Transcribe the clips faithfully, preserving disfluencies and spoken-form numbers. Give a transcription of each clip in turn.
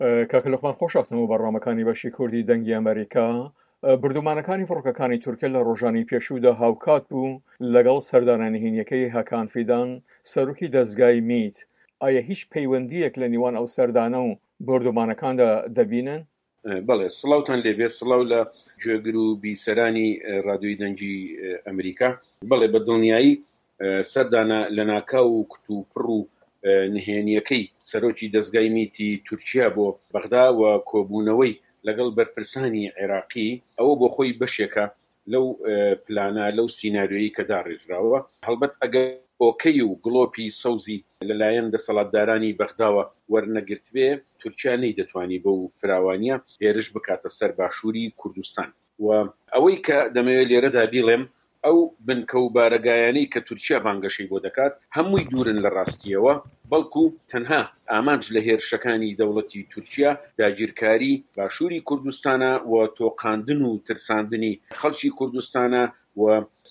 کاکە لوقمان خۆشهاتن بۆ بەرنامەکانی بەشی کوردی دەنگی ئەمریکا. بردومانەکانی فڕۆکەکانی تورکیا لە ڕۆژانی پێشوودا هاوکات بوو لەگەڵ سەردانە نهێنیەکەی هەکان فیدان سەرۆکی دەزگای میت. ئایا هیچ پەیوەندیەک لە نێوان ئەو سەردانە و بۆردومانەکاندا دەبینن؟ بەڵێ، سڵاوتان لێبێ، سڵاو لە گوێگر و بیسەرانی ڕادیۆی دەنگی ئەمریکا. بەڵێ، بە دڵنیایی سەردانە لەناکاو و کتوپڕ و نهێنیەکەی سەرۆکی دەزگای میتی تورکیا بۆ بەغدا و کۆبوونەوەی لەگەڵ بەرپرسانی عێراقی، ئەوە بۆ خۆی بەشێکە لەو پلانە، لەو سیناریۆیەی کە داڕێژراوە. هەڵبەت ئەگەر ئۆکەی و گڵۆپی سەوزی لەلایەن دەسەڵاتدارانی بەغداوە وەرنەگرتبێ، تورکیا نەیدەتوانی بەو فراوانییە هێرش بکاتە سەر باشووری کوردستان. و ئەوەی کە دەمەوێت لێرەدا بیڵێم، ئەو بنکە و بارەگایانەی کە تورکیا بانگەشەی بۆ دەکات، هەمووی دوورن لە ڕاستییەوە، بەڵکو تەنها ئامانج لە هێرشەکانی دەوڵەتی تورکیا داگیرکاری باشووری کوردستانە و تۆقاندن و ترساندنی خەڵکی کوردستانە و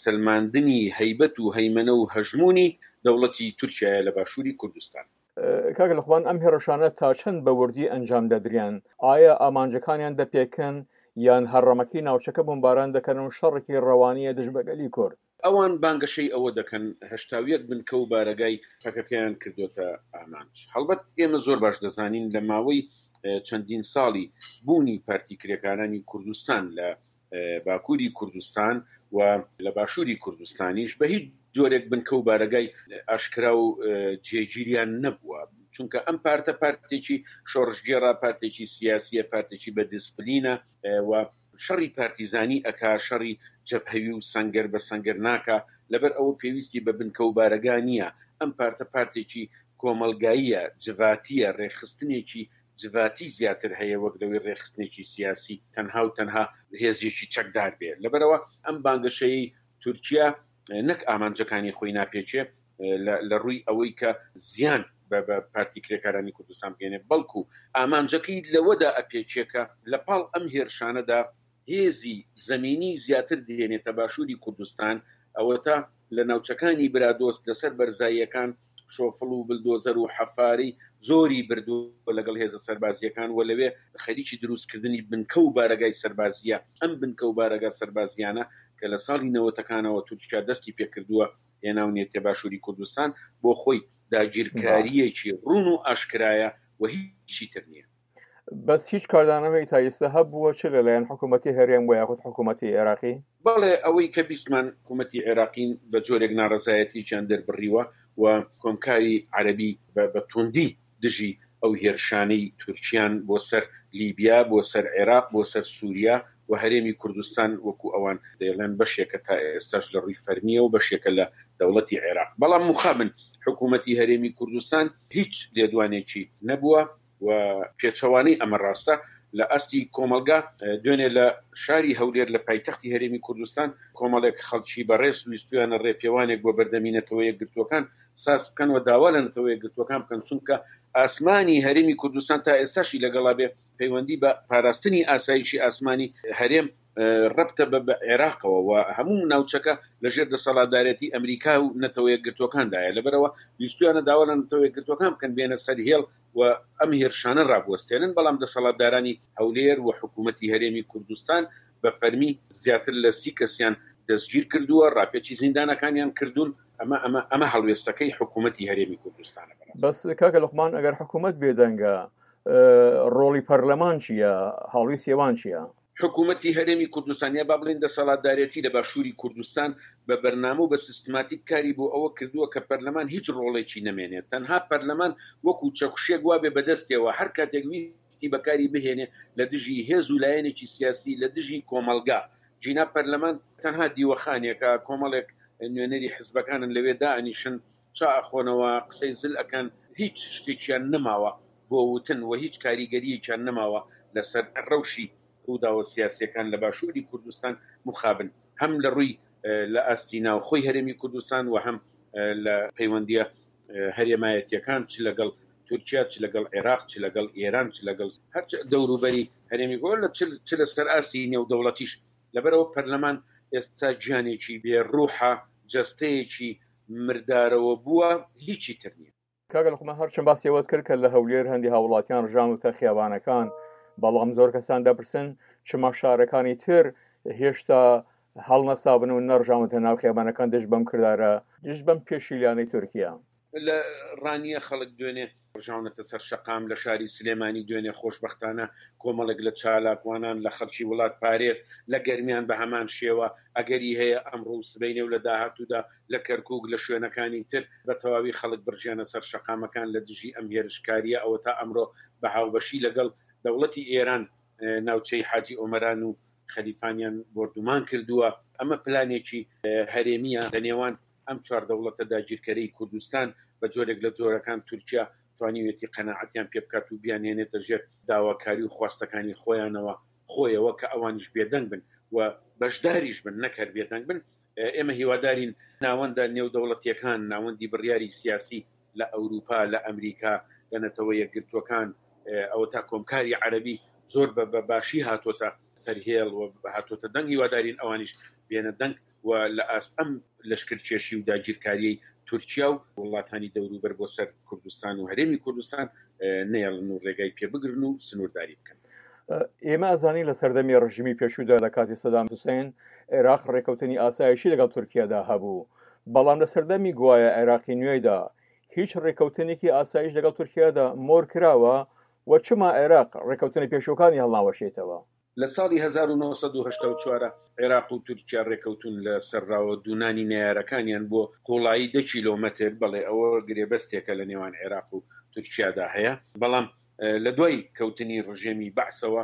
سەلماندنی هەیبەت و هەیمەنە و هەژموونی دەوڵەتی تورکیایە لە باشووری کوردستان. کاک لوقمان، ئەم هێرشانە تا چەند بە وردی ئەنجام دەدرێن؟ ئایا ئامانجەکانیان دەپێکن یان هەڕەمەکی ناوچەکە بۆمباران دەکەن و شەڕێکی ڕەوانییە دژ بە گەلی کورد؟ ئەوان بانگەشەی ئەوە دەکەن هەشتا و یەک بنکە و بارەگای پەکەکەیان کردۆتە ئامانج. هەڵبەت ئێمە زۆر باش دەزانین لە ماوەی چەندین ساڵی بوونی پارتی کرێکارانی کوردستان لە باکووری کوردستان و لە باشووری کوردستانیش بە هیچ جۆرێک بنکە و بارەگای ئاشکرا و جێگیریان نەبووە، چونکە ئەم پارتە پارتێکی شۆڕشگێڕە، پارتێکی سیاسیە، پارتێکی بە دیسپلینە و شەڕی پارتیزانی ئەکا، شەڕی جەبهەوی و سەنگەر بە سەنگەر ناکا، لەبەر ئەوە پێویستی بە بنکە و بارەگا نییە. ئەم پارتە پارتێکی کۆمەڵگاییە، جڤاتیە، ڕێکخستنێکی جڤاتی زیاتر هەیە وەک لەوەی ڕێکخستنێکی سیاسی تەنها و تەنها هێزێکی چەکدار بێ. لەبەرئەوە ئەم بانگەشەیەی تورکیا نەک ئامانجەکانی خۆی ناپێکێ لە ڕووی ئەوەی کە زیان بە پارتی کرێکارانی کوردستان بگەێنێ، بەڵکو ئامانجەکەی لەوەدا ئەپێکێ کە لە پاڵ ئەم هێرشانەدا هێزی زەمینی زیاتر دێنێتە باشووری کوردستان. ئەوەتا لە ناوچەکانی برادۆست لەسەر بەرزاییەکان شۆفڵ و بلدۆزەر و حەفاری زۆری بردووە لەگەڵ هێزە سەربازییەکان و لەوێ خەریکی دروستکردنی بنکە و بارەگای سەربازییە. ئەم بنکە و بارەگا سەربازییانە کە لە ساڵی نەوەتەکانەوە تورکیا دەستی پێکردووە هێناونێتە باشووری کوردستان، بۆ خۆی داگیرکارییەکی ڕوون و ئاشکرایە و هیچی تر نییە. بەس هیچ کاردانەوەی تا ئێستا هەبووە چ لەلایەن حکوومەتی هەرێم و یاخود حکوومەتی عێراقی؟ بەڵێ، ئەوەی کە بیستمان حکوومەتی عێراقی بە جۆرێک ناڕەزایەتییان دەربڕیوە و کۆمکاری عەرەبی بە توندی دژی ئەو هێرشانەی تورکیان بۆ سەر لیبیا، بۆ سەر عێراق، بۆ سەر سووریا و هەرێمی کوردستان وەکو ئەوان دەیڵێن بەشێکە تا ئێستاش لە ڕووی فەرمییەوە بەشێکە لە دەوڵەتی عێراق. بەڵام مخابن حکوومەتی هەرێمی کوردستان هیچ لێدوانێکی نەبووە و پێچەوانەی ئەمە ڕاستە لە ئاستی کۆمەڵگا. دوێنێ لە شاری هەولێر لە پایتەختی هەرێمی کوردستان کۆمەڵێک خەڵکی بەڕێز ویستویانە ڕێپێوانێک بۆ بەردەمی نەتەوە یەکگرتووەکان ساز بکەن و داوا لە نەتەوە یەکگرتووەکان بکەن، چونکە ئاسمانی هەرێمی کوردستان تا ئێستاشی لەگەڵا بێ پەیوەندی بە پاراستنی ئاسایشی ئاسمانی هەرێم ڕەبتە بە عێراقەوە و هەموو ناوچەکە لەژێر دەسەڵاتدارێتی ئەمریکا و نەتەوە یەکگرتووەکاندایە. لەبەرەوە ویستویانە داوا لە نەتەوە یەکگرتووەکان بکەن بێنە سەر هێڵ و ئەم هێرشانە ڕابوەستێنن، بەڵام دەسەڵاتدارانی هەولێر و حکوومەتی هەرێمی کوردستان بە فەرمی زیاتر لە سی کەسیان دەستگیر کردووە، ڕاپێچی زیندانەکانیان کردوون. ئەمە ئەمە ئەمە هەڵوێستەکەی حکوومەتی هەرێمی کوردستانە بەڕاست. بەس کاکە لوقمان، ئەگەر حکوومەت بێدەنگە، ڕۆڵی پەرلەمان چییە؟ هەڵوێستی ئەوان چییە؟ حکوومەتی هەرێمی کوردستان یا با بڵێین دەسەڵاتدارێتی لە باشووری کوردستان بە بەرنامە و بە سیستماتیک کاری بۆ ئەوە کردووە کە پەرلەمان هیچ ڕۆڵێکی نەمێنێت، تەنها پەرلەمان وەکو چەکوشێک وابێ بەدەستیەوە هەر کاتێک ویستی بەکاری بهێنێ لە دژی هێز و لایەنێکی سیاسی، لە دژی کۆمەڵگا. جینا پەرلەمان تەنها دیوەخانێکە، کۆمەڵێک نوێنەری حزبەکانن لەوێ دائەنیشن، چا ئەخۆنەوە، قسەی زل ئەکەن، هیچ شتێکیان نەماوە بۆ وتن و هیچ کاریگەریەکیان نەماوە لەسەر ڕەوشی ڕووداوە سیاسیەکان لە باشووری کوردستان. مخابن هەم لە ڕووی لە ئاستی ناوخۆی هەرێمی کوردستان و هەم لە پەیوەندیە هەرێمایەتیەکان، چ لەگەڵ تورکیا، چ لەگەڵ عێراق، چ لەگەڵ ئێران، چ لەگەڵ هەر دەوروبەری هەرێمی لە چ لەسەر ئاستی نێودەوڵەتیش. لەبەرەوە پەرلەمان ئێستا گیانێکی بێ ڕوحە، جەستەیەکی مردارەوە بووە، هیچی تر نییە. کاکە لوقمان هەرچەند باسی ئەوەت کرد کە لە هەولێر هەندی هاوڵاتیان ڕژاونەتە خیابانەکان، بەڵام زۆر کەسان دەپرسن چما شارەکانی تر هێشتا هەڵنەسابن و نەڕژاونەتە ناو خیابانەکان دژ بەم کردارە، دژ بەم پێشیلانەی تورکیا؟ لە ڕانیە خەڵک دوێنێ ڕژاونەتە سەر شەقام، لە شاری سلێمانی دوێنێ خۆشبەختانە کۆمەڵێک لە چالاکوانان لە خەڵکی وڵات پارێز، لە گەرمیان بە هەمان شێوە، ئەگەری هەیە ئەمڕۆ و سبەینێ و لە داهاتوودا لە کەرکوک، لە شوێنەکانی تر بە تەواوی خەڵک بڕژێنە سەر شەقامەکان لە دژی ئەم هێرشکارییە، ئەوەتا ئەمڕۆ بە هاوبەشی لەگەڵ دەوڵەتی ئێران ناوچەی حاجی ئۆمەران و خەلیفانیان بۆردومان کردووە، ئەمە پلانێکی هەرێمییە لە نێوان ئەم چوار دەوڵەتە داگیرکەرەی کوردستان، بە جۆرێک لە جۆرەکان تورکیا توانیویەتی قەناعەتیان پێ بکات و بیانهێنێتە ژێر داواکاری و خواستەکانی خۆیانەوە خۆیەوە کە ئەوانیش بێدەنگ بن و بەشداریش بن نەک هەر بێدەنگ بن. ئێمە هیوادارین ناوەندە نێودەوڵەتییەکان، ناوەندی بڕیاری سیاسی لە ئەوروپا، لە ئەمریکا، لە نەتەوە یەکگرتووەکان، ئەوەتا کۆمکاری عەرەبی زۆر بە باشی هاتۆتە سەر هێڵ و هاتۆتە دەنگ، هیوادارین ئەوانیش بێنە دەنگ و لە ئاست ئەم لەشکرکێشی و داگیرکارییەی تورکیا و وڵاتانی دەوروبەر بۆ سەر کوردستان و هەرێمی کوردستان نەیەڵن و ڕێگای پێ بگرن و سنوورداری بکەن. ئێمە ئەزانین لە سەردەمی ڕژیمی پێشوودا لە کاتی سەدام حوسێن عێراق ڕێکەوتنی ئاسایشی لەگەڵ تورکیادا هەبوو، بەڵام لە سەردەمی گوایە عێراقی نوێیدا هیچ ڕێکەوتنێکی ئاسایش لەگەڵ تورکیادا مۆر کراوە و چما عێراق ڕێکەوتنە پێشووەکانی هەڵناوەشێتەوە؟ لە ساڵی هەزار و نۆ سەد و هەشتا و چوار عێراق و تورکیا ڕێکەوتوون لە سەر ڕاوەدوونانی نەیارەکانیان بۆ قووڵایی دە کیلۆمەتر، بەڵێ ئەوە گرێبەستێکە لە نێوان عێراق و تورکیادا هەیە، بەڵام لە دوای کەوتنی ڕژێمی بەعسەوە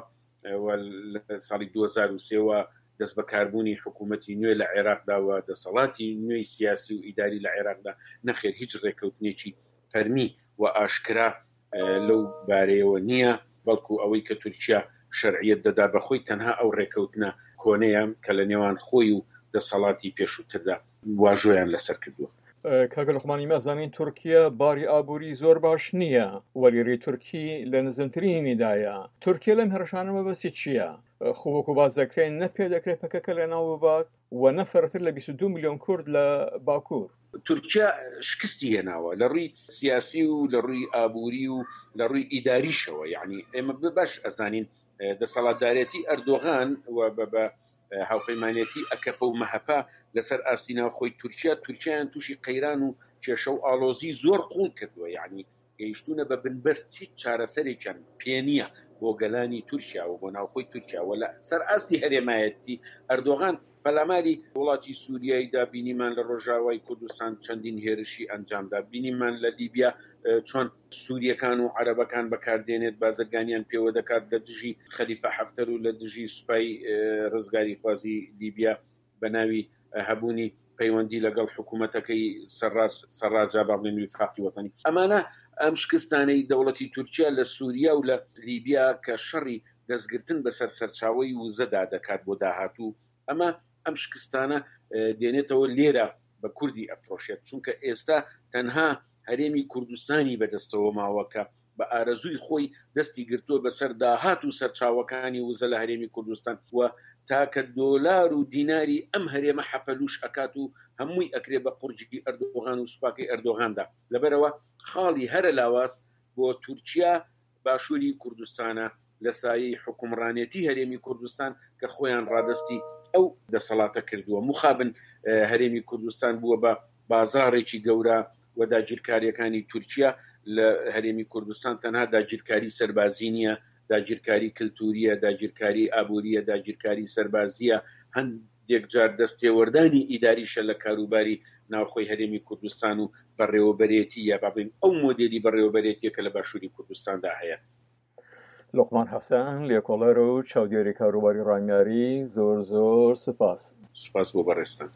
و لە ساڵی دوو هەزار و سێ وە دەستبەکاربوونی حکوومەتی نوێ لە عێراقدا و دەسەڵاتی نوێی سیاسی و ئیداری لە عێراقدا، نەخێر هیچ ڕێکەوتنێکی فەرمی و ئاشکرا لەو بارەیەوە نییە، بەڵکو ئەوەی کە تورکیا شەرعیەت دەدا بە خۆی تەنها ئەو ڕێکەوتنە کۆنەیە کە لە نێوان خۆی و دەسەڵاتی پێشووتردا واژۆیان لەسەر کردووە. کاکە لوقمان، ئێمە ئەزانین تورکیا باری ئابووری زۆر باش نییە و لیرەی تورکی لە نزمترینیدایە. تورکیا لەم هێرشانە مەبەستی چییە؟ خۆ وەکو باس دەکرێن نە پێ دەکرێت پەکەکە لەناو ببات و نە فرەتر لە بیست و دوو ملیۆن کورد لە باکوور. تورکیا شکستی هێناوە لە ڕووی سیاسی و لە ڕووی ئابووری و لە ڕووی ئیداریشەوە، یعنی ئێمە باش ئەزانین دەسەڵاتدارێتی ئەردۆغان و بە هاوپەیمانێتی ئەکەپە و مەهەپە لەسەر ئاستی ناوخۆی تورکیا، تورکیایان تووشی قەیران و کێشە و ئاڵۆزی زۆر قوڵ کردووە، یعنی گەیشتوونە بە بنبەست، هیچ چارەسەرێکیان پێ نییە بۆ گەلانی تورکیا و بۆ ناوخۆی تورکیا. و لە سەر ئاستی هەرێمایەتی ئەردۆغان پەلاماری وڵاتی سووریایدا بینیمان لە ڕۆژاوای کوردستان چەندین هێرشی ئەنجامدا، بینیمان لە لیبیا چۆن سووریەکان و عەرەبەکان بەکاردێنێت، بازرگانیان پێوە دەکات لە دژی خەلیفە حەفتەر و لە دژی سوپای ڕزگاریخوازی لیبیا بە ناوی هەبوونی پەیوەندی لەگەڵ حکوومەتەکەی سەڕاجا با بڵێن ویفاقی وەتەنی. ئەمانە ئەم شکستانەی دەوڵەتی تورکیا لە سووریا و لە لیبیا کە شەڕی دەستگرتن بەسەر سەرچاوەی وزەدا دەکات بۆ داهاتوو، ئەمە ئەم شکستانە دێنێتەوە لێرە بە کوردی ئەفرۆشێت، چونکە ئێستا تەنها هەرێمی کوردستانی بەدەستەوە ماوە کە بە ئارەزووی خۆی دەستی گرتووە بەسەر داهات و سەرچاوەکانی وزە لە هەرێمی کوردستان و تاکە دۆلار و دیناری ئەم هەرێمە حەپەلوش ئەکات و هەمووی ئەکرێ بە قورجی ئەردۆغان و سوپاکەی ئەردۆغاندا. لەبەرەوە خاڵی هەرە لاواز بۆ تورکیا باشووری کوردستانە لە سایەی حکومڕانێتی هەرێمی کوردستان کە خۆیان ڕادەستی ئەو دەسەڵاتە کردووە. مخابن هەرێمی کوردستان بووە بە بازاڕێکی گەورە و داگیرکاریەکانی تورکیا لە هەرێمی کوردستان تەنها داگیرکاری سەربازی نییە، داگیرکاری کللتوریە، داگیرکاری ئابووریە، داگیرکاری سەربازیە، هەندێک جار دەستێوەردانی ئیداریشە لە کاروباری ناوخۆی هەرێمی کوردستان و بەڕێوەبەرێتی یا با بڵێین ئەو مۆدێلی بەڕێوەبەرێتیە کە لە باشووری کوردستاندا هەیە. لوقمان حەسەن، لێکۆڵەر و چاودێری کاروباری ڕامیاری، زۆر زۆر سپاس. سپاس بۆ بەڕێزتان.